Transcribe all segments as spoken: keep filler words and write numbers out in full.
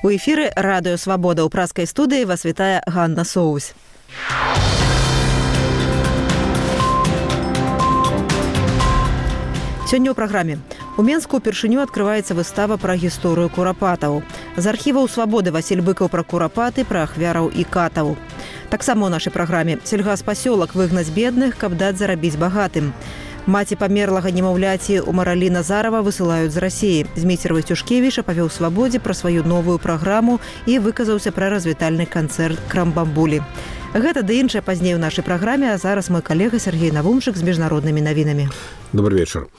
У эфіры радыё «Свабода» ў праскай студыі вас вітае Ганна Соусь. Сёння ў праграме. У Менску ўпершыню адкрываецца выстава пра гісторыю курапатаў. З архіваў «Свабоды» Васіль Быкаў пра курапаты, пра ахвяраў і катаў. Таксама ў нашай праграме сельгаспасёлак выгнаць бедных, каб даць зарабіць багатым. Маці памерлага немаўляці Умаралі Назарова высылаюць з Расіі. Зміцер Васцюшкевіч апавёў «Свабодзе» пра сваю новую праграму і выказаўся пра развітальны канцэрт «Крамбамбулі». Гэта ды іншае пазней у нашай праграме, а зараз мой калега Сергей Навумчык з міжнароднымі навінамі. Добрый вечар.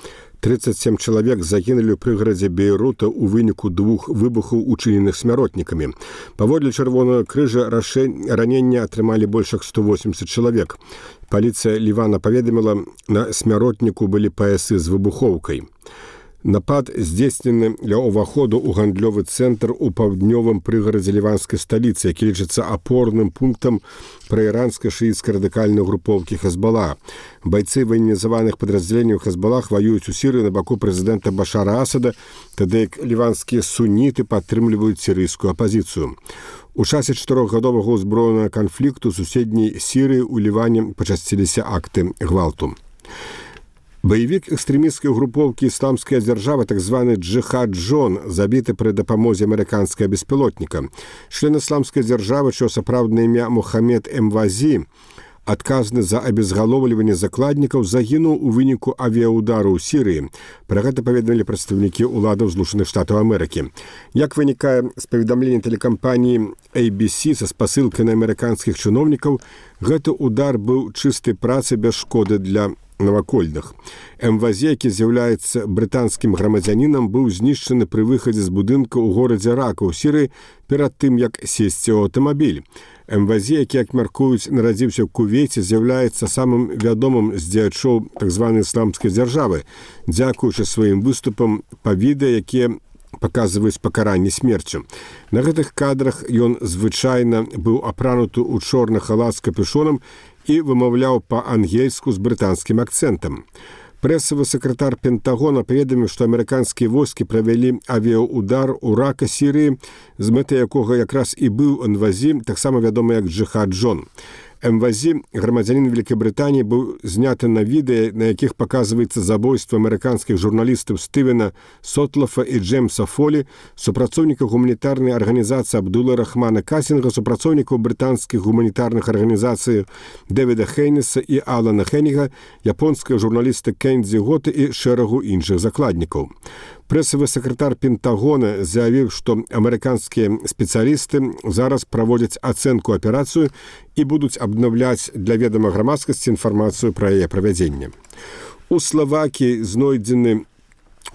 тридцать семь чалавек загінулі ў прыгарадзе Бейрута ў выніку двух выбухаў, учыненых смяротнікамі. Паводле Чырвонага крыжа ранення атрымалі больш як сто восемьдесят чалавек. Паліцыя Лівана паведаміла, на смяротніку былі паясы з выбухоўкай. Напад здзейснены ля ўваходу ў гандлёвы цэнтр у паўднёвым прыгарадзе ліванскай сталіцы, які лічыцца апорным пунктам праіранскай шыіцкай радыкальнай групоўкі Хезбалла. Байцы ваенізаваных падраздзяленняў Хезбаллах ваююць у Сірыі на баку прэзідэнта Башара Асада, тады як ліванскія суніты падтрымліваюць сірыйскую апазіцыю. У часе чатырохгадовага ўзброенага канфлікту суседняй Сірыі ў Ліване пачасціліся акты гвалту. Баевік экстрэмісцкай групоўкі «Ісламская дзяржава», так званы Джихад Джон, забіты пры дапамозе амерыканскага беспілотніка. Член ісламскай дзяржавы, чыё сапраўднае імя Мухаммед Эмвазі, адказны за абезгалоўліванне закладнікаў, загінуў у выніку авіяудару ў Сірыі. Пра гэта паведамілі прадстаўнікі ўладаў Злучаных Штатаў Амерыкі. Як вынікае з паведамлення тэлекампаніі эй би си са спасылкай на амерыканскіх чыноўнікаў, гэты удар быў чыстай працы без шкоды для навакольных. Эмвазі, які з'яўляецца брытанскім грамадзянінам, быў знішчаны пры выхадзе з будынка ў горадзе Рака ў Сірыі перад тым, як сесці ў аўтамабіль. Эмвазі, які, як мяркуюць, нарадзіўся ў Кувейце, з'яўляецца самым вядомым з дзеячоў так званай ісламскай дзяржавы, дзякуючы сваім выступам па відэа, якія паказваюць пакаранне смерцю. На гэтых кадрах ён звычайна быў апрануты ў чорны халат з капюшонам і вымаўляў па-ангельску з брытанскім акцэнтам. Прэсавы сакратар Пентагона паведаміў, што амерыканскія войскі правялі авіяудар у Рака, Сірыі, з мэтай якога якраз і быў Эмвазі, таксама вядомы як Джихад Джон. Эмвазі, грамадзянін Великабрытаніі, быў зняты на відэа, на якіх паказваецца забойства амерыканскіх журналістаў Стывена Сотлафа і Джеймса Фолі, супрацоўніка гуманітарнай арганізацыі Абдула Рахмана Касінга, супрацоўнікаў брытанскіх гуманітарных арганізацый Дэвіда Хейнеса і Алана Хеніга, японскага журналіста Кэндзі Готы і шэрагу іншых закладнікаў. Прэсавы сакратар Пентагона заявіў, што амерыканскія спецыялісты зараз праводзяць ацэнку аперацыю і будуць абнаўляць для ведама грамадскасці інфармацыю пра яе правядзенне. У Славакіі знойдзены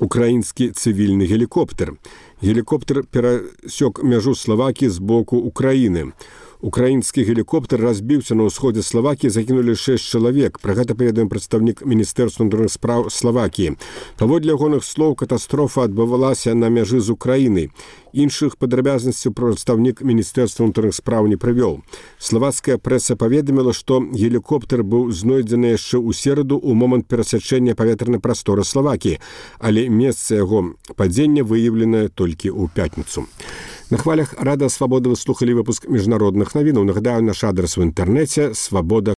украінскі цывільны гелікоптер. Гелікоптер перасёк мяжу Славакіі з боку Украіны. Украінскі гелікоптер разбіўся на ўсходзе Славакіі, загінулі шэсць чалавек. Пра гэта паведаміў прадстаўнік Міністэрства ўнутраных спраў Славакіі. Паводле ягоных слоў, катастрофа адбывалася на мяжы з Украінай. Іншых падрабязнасцяў прадстаўнік Міністэрства ўнутраных спраў не прывёў. Славацкая прэса паведаміла, што гелікоптер быў знойдзены яшчэ ў сераду ў момант перасячэння паветранай прасторы Славакіі, але месца яго падзення выяўленае толькі ў пятніцу. На хвалях радыё «Свабода» вы слухалі выпуск міжнародных навінаў. Нагадаю, наш адрес в інтэрнэце свабода